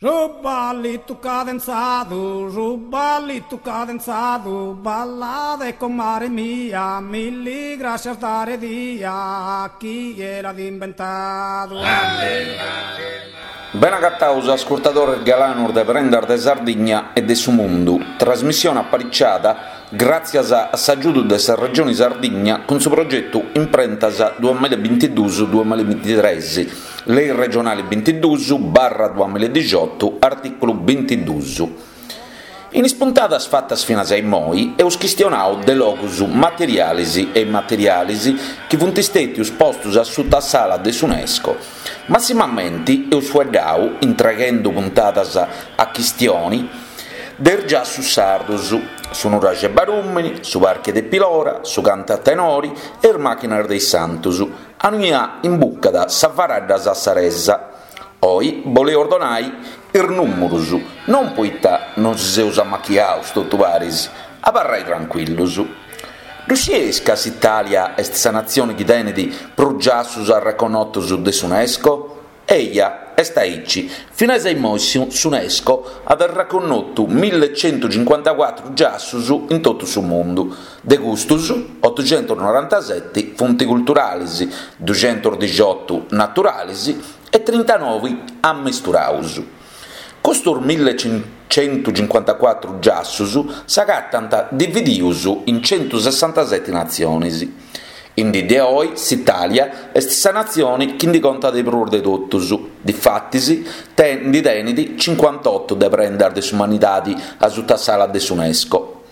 Su ballitu cadenzadu, su ballitu cadenzadu, ballade comare mia, milli grascias dare dia, chie l'at imbentadu. Bene agataus ascurtadores galanus de Prendas de Sardigna e de su Mundu, trasmissione apariciada gràtzias a s'agiudu de sa Regioni Sardigna cun su progetu Imprentas duamilla e bintiduus duamilla e bintitres, Lei regionali bintiduus barra duamilla e dixiotu, artìculu bintiduus. In is puntadas fatas finas a immoi eus chistionau de logus materialis e immaterialis chi funt stètius postus a suta s'ala de s'Unesco. Massimamenti eus fueddau, intreghendu puntadas a chistioni, de is giassus sardus, su nuraxi 'e Barùmini, su parchi de Pilora, su cantu a tenori e is màchinas de is santus, Aunia imbucat sa faradda sassaresa. Oi boleus donai is nùmurus, non poita nosi seus amachiaus totu paris, abarrai trancuillus. Ddu scieis ca s'Itàlia est sa natzioni chi tenit prus giassus arreconnotus de s'Unesco? Eja, est aici. Finas a immoi s'Unesco at arreconnotu millecentucincuantacuatru giassus in totu su mundu. De custus, otucentusnorantaseti funt culturalis, duxentusdixiotu naturalis e trintanovi ammesturaus. Custus millecentucincuantacuatru giassus s'agatant dividius in centusessantaseti natzionis. In dì de oi s'Itàlia est sa natzioni chi ndi contat de prus de totus, difatis ndi tenit cincuantotu de prendas de s'umanidadi asuta s'ala de s'Unesco.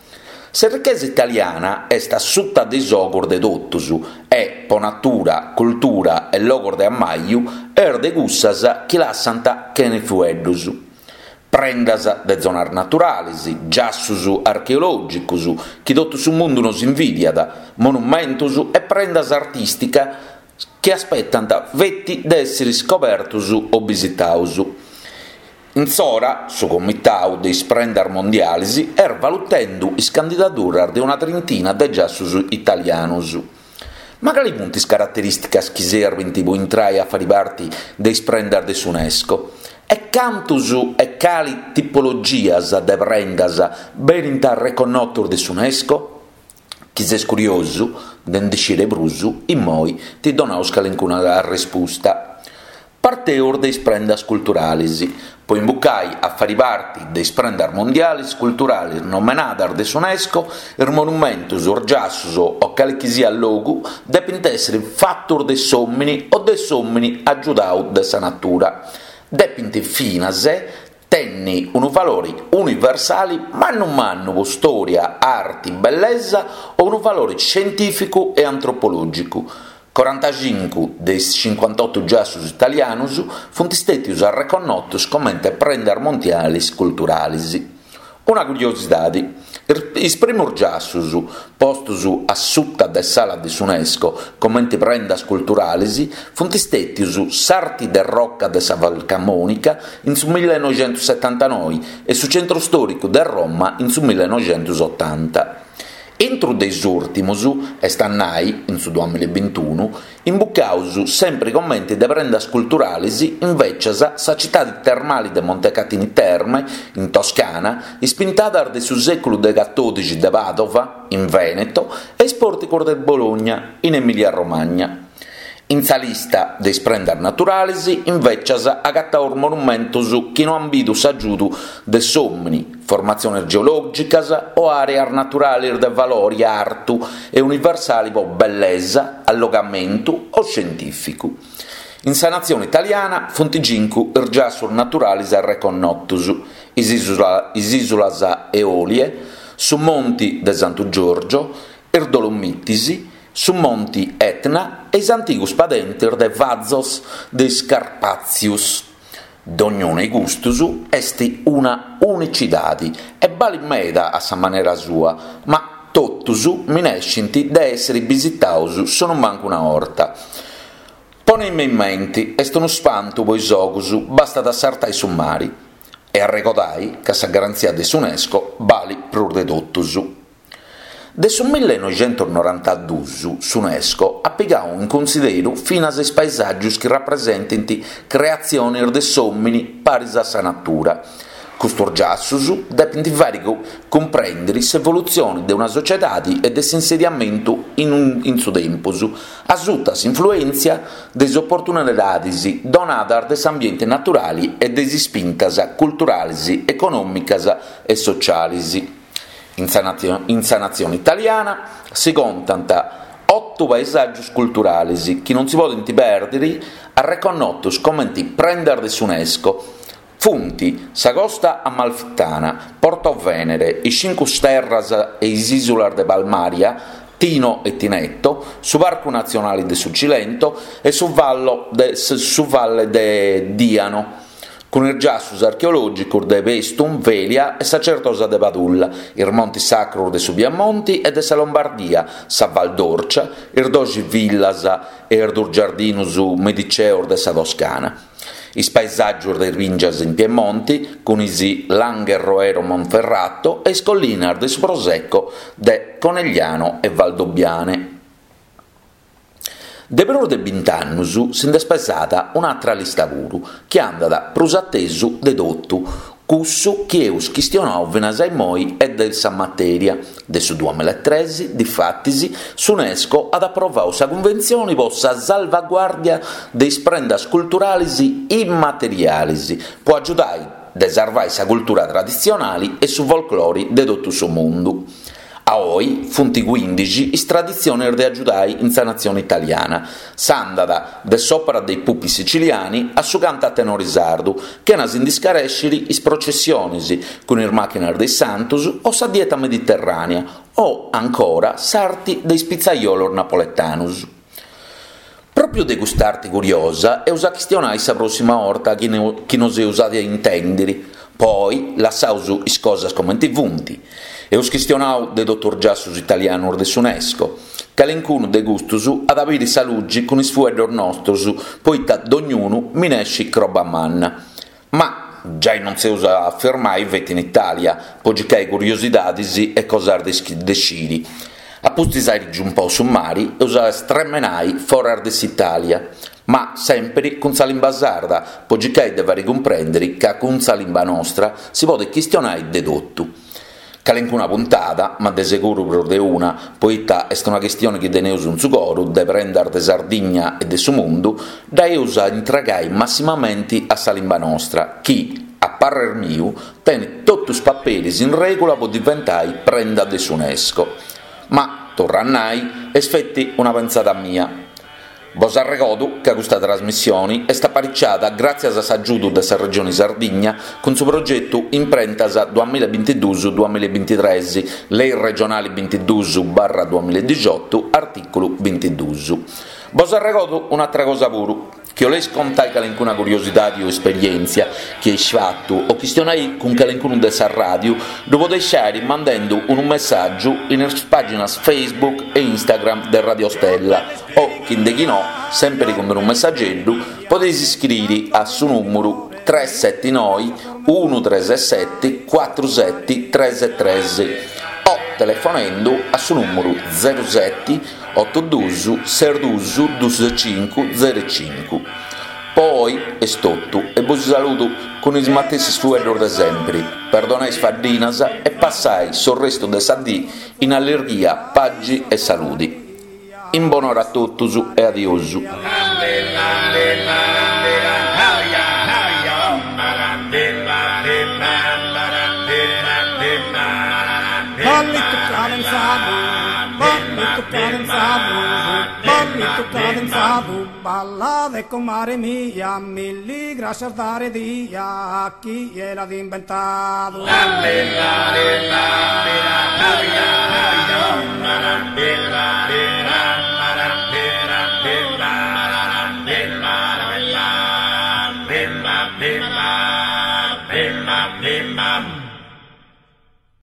S'errichesa italiana est a suta de is ogus de totus e, po natura, cultura e logos de ammaju, est de cussas chi lassant chene fueddus. Prendas de zonas naturalis, giassus archeològicos chi totu su mundu nos invidiat, monumentos e prendas artìsticas chi aspetant feti de èssere iscobertos o bisitados. In s'ora, su Comitau de is Prendas Mondialis est valutendu is candidaduras de una trintina de giassus italianos. Ma cali funt is caraterìsticas chi serbint po intrai a fari parti de is prendas de s'Unesco? E cantus e cali tipologias de prendas benint arreconnotus de s'Unesco? Chi ses curiosu de ndi sciri prus, immoi ti donaus calincuna arrespusta. Parteus de is prendas culturalis. Po imbucai a fari parti de is prendas mondialis culturalis nomenadas de s'Unesco, is monumentus, is giassus o cali chi siat logu depint èssiri fatus de s'òmini o de s'òmini agiudau de sa natura. Depint finas tenni unu valori universali mannu mannu po stòria, arti, bellesa o unu valori scientìficu e antropològicu. Corantacincu de is cincuantotu giassus italianus funt stètius arreconnotus comente prendas mondialis culturalis. Una curiosidadi, is primus giassus postus a suta de s'ala de s'Unesco comente prendas culturalis funt stètius s'arti de roca de sa Valcamonica in su millenoixentussetantanoi e su centru stòricu de Roma in su millenoixentusotanta. Intru de is ùrtimus, est a nai in su duamilla e bintunu, imbucaus sempri comenti de prendas culturalis invècias sa citadi termali de Montecatini Terme, in Toscana, is pintadas de su sèculu de catòdixi de Padova, in Veneto, e is pòrticos de Bologna, in Emilia Romagna. In sa lista de is prendas naturalis, invècias, agataus monumentos chi no ant bidu s'agiudu de s'òmini, formatziones geològicas o àreas naturalis de valori artu e universali po bellesa, allogamentu o scientìficu. In sa natzione italiana funt cincu is giassus naturalis arreconnotus, is ìsulas Eolie, su Monti de Santu Giorgio, is Dolomitis, su monti Etna e is antigus padentis de Vazos de is Carpàtzius. Dognunu 'e custus est una unicidadi e balit meda a sa manera sua, ma totus minescint de èssiri bisitaus sonumancu una 'orta. Poneimi in menti, est unu spantu po is ogus, bastat a sartai su mari e arregodai ca sa garantzia de s'Unesco balit prus de totus. De su millenoixentusnorantaduus s'Unesco at pigau in cunsideru finas is paesàgius chi rapresentint creatzionis de s'òmini paris a sa natura. Custus giassus depint fàiri cumprèndiri s'evolutzioni de una sociedadi e de s'insediamentu in su tempus, asuta s'influèntzia de is oportunidadis donadas de s'ambienti naturali e de is ispintas culturalis, econòmicas e socialis. In sa natzione italiana si contant otu paesàgios culturales chi non si podent pèrdere arreconnotos comente prendas de s'Unesco, funt sa Costa Amalfitana, Portovenere, is Cincu Terras e is ìsulas de Palmaria, Tino e Tinetto, su Parcu Natzionale de su Cilento e su su Valle de Diano. Cun is giassus archeològicos de Paestum, Velia e sa Certosa de Padulla, is montis sacros de su Piemonti e de sa Lombardia, sa Val d'Orcia, is doxi villas e is dus giardinus mediceos de sa Toscana, is paesàgios de is bìngias in Piemonti cun is Langhe Roero Monferrato e is collinas de su Prosecco de Conegliano e Valdobbiane. De prus de bint'annus si nd'est pesada un'atra lista puru, chi andat prus atesu de totu cussu chi eus chistionau finas a immoi e de sa matèria. De su duamillaetres, difatis, s'Unesco at aprovau sa Cunventzioni po sa salvaguàrdia de is prendas culturalis immaterialis po agiudai de sarvai sa cultura traditzionali e su folclori de totu su mundu. A oi funt cuindixi is traditzionis de agiudai in sa natzioni italiana. S'andat de s'òpera dei pupi siciliani a su cantu a tenori sardu, chena si ndi scarèsciri is processionis cun is màchinas de is santus o sa dieta mediterrànea o, ancora, s'arti de is pitzaiolos napoletanus. Pròpiu de cust'arti curiosa eus a chistionai sa pròssima 'orta chi nos eus a intèndiri. Po oi lassaus is cosas comenti funt. Eus chistionau de totu is giassus italianus de s'Unesco. Calincunu de custus at a biri sa lugi cun is fueddus nostus poita dognunu minescit croba manna. Ma giai non s'eus a firmai feti in Italia po circai curiosidadis e cosas de sciri. A pustis airi giumpau su mari eus a stremenai foras de s'Italia, ma sempiri cun sa limba sarda po circai de fari cumprendiri ca cun sa limba nostra si podit chistionai de totu. Calincuna puntada, ma de seguru prus de una, poita est una chistioni chi teneus in su coru de prendas de Sardigna e de su mundu, dda eus a intregai massimamenti a sa limba nostra chi, a parrer miu, tenit totu is paperis in regula po diventai prenda de s'Unesco. Ma, torru a nai, est feti una pentzada mia. Bos arregodu ca custa trasmissioni est apariciada gràtzias a s'agiudu de sa Regioni Sardigna cun su progetu Imprentas duamillabintiduus duamillabintitres, Lei regionali bintiduus barra duamilladixotu, artìculu bintiduus. Bos arregodu un'atra cosa puru. Chi 'oleis contai calincuna curiosidadi o esperièntzia chi eis fatu o chistionai cun calincunu de sa ràdiu, ddu podeis fàiri mandendu unu messàgiu in is pàginas Facebook e Instagram de Radio Stella o, chi nde chi no, sèmpiri cun unu messageddu, podeis iscriri a su nùmuru tres seti noi unu tres seti cuatru seti tres tres o telefonendu a su nùmuru zeru seti otu dus ses dus dus cincu zeru cincu. Po oi est totu e bosi saludu cun is matessis fueddus de sempri, perdonai is faddinas e passai s'orrestu de sa dì in allirghia, pagi e saludi. In bonora a totus e adiosu. Ballitu cadenzadu, ballitu cadenzadu, ballitu cadenzadu, ballade comare mia, milli grascias dare dia a chie l'at imbentadu.